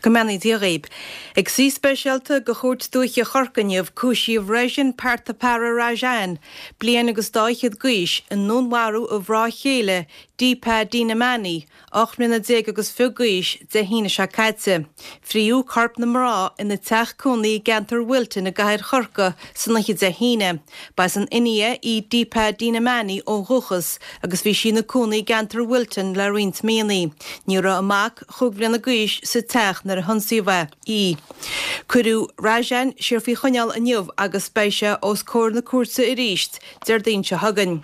Go mbeannaí Dia dhaoib. Ag suí speisialta de Chúirt Dúiche Chorcaí inniu, cúisíodh Rajan Parthapara Rajan, bliain agus dá fhichead d'aois, i ndúnmharú a mhná chéile, Deepa Dinamani, 18 mbliana agus fiche d'aois, Dé hAoine seo caite. Fríodh corp na mná ina teach cónaí i gceantar Wilton i gcathair Chorcaí san oíche Dé hAoine. Ba as an India í Deepa Dinamani ó dhúchas agus bhí sí ina cónaí i gceantar Wilton le roinnt míonna. Ní raibh a mac, chúig bhliana d'aois, sa teach nuair a hionsaíodh í. Cuireadh Rajan siar faoi choinneáil inniu agus beidh sé os comhair na cúirte arís Déardaoin seo chugainn.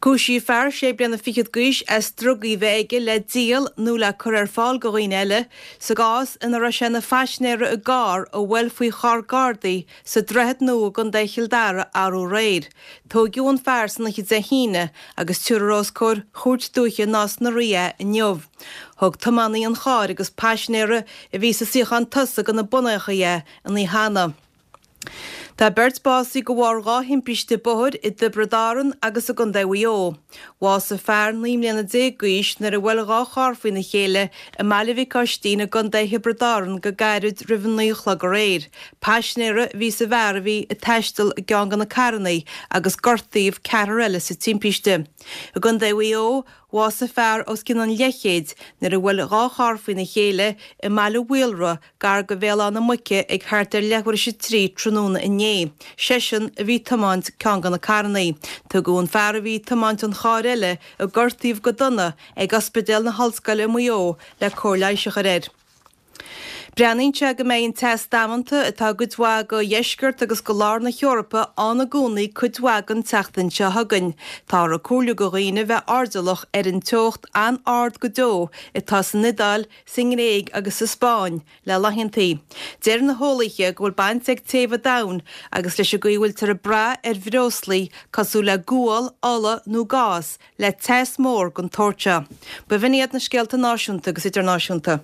Cúisíodh fear sé bliana fichead d'aois as drugaí bheith aige le díol nó le cur ar fáil go dhaoine eile sa gcás ina raibh sé ina phaisinéara i gcarr a bhuail faoi charr Gardaí sa Droichead Nua i gContae Chill Dara arú aréir. Tóigeadh an fear san oíche Dé hAoine agus tabharfar os comhair Chúirt Dúiche Nás na Rí é inniu. Thug tiománaí an chairr agus paisinéara a bhí sa suíochán tosaigh go na bonnachaí é an oíche cheana. Tá beirt básaithe de bharr 2 thimpiste bóthair i dTiobraid Árann agus i gContae Mhaigh Eo. Bhásaigh fear 19 mbliana d'aois nuair a bhuail 2 charr faoina chéile i mBaile Mhic Oistín i gContae Thiobraid Árann go gairid roimh a 9 a chlog aréir. Paisinéara a bhí sa bhfear a bhí ag taisteal i gceann de na carranna agus gortaíodh ceathrar eile sa timpiste. I gContae Mhaigh Eo, bhásaigh fear os cionn an leathchéid nuair a bhuail 2 charr faoina chéile i mBaile Mhaolra gar do Bhéal Átha na Muice ag thart ar leathuair théis a 3 tráthnóna inné. Seisean a bhí ag tiomáint ceann de na carranna. Tugadh an fear a bhí ag tiomáint an chairr eile, a gortaíodh go dona, ag Ospidéal na hOllscoile i Maigh Eo le cóir leighis a chur air. Breathnaíonn sé go mbeidh an teas damanta atá i gcuid mhaith de dheisceart agus de lár na hEorpa ann i gcónaí cuid mhaith den tseachtain seo chugainn. Táthar ag comhairliú do dhaoine bheith airdeallach ar an teocht an-ard go deo atá san Iodáil, sa nGréig agus sa Spáinn le laethantaí. Deir na heolaithe go bhfuil baint ag téamh an domhain agus leis an gcaoi a bhfuiltear ag brath ar bhreoslaí cosúil le gual, ola nó gás le teas mór den tsórt seo. B'in iad na scéalta náisiúnta agus idirnáisiúnta.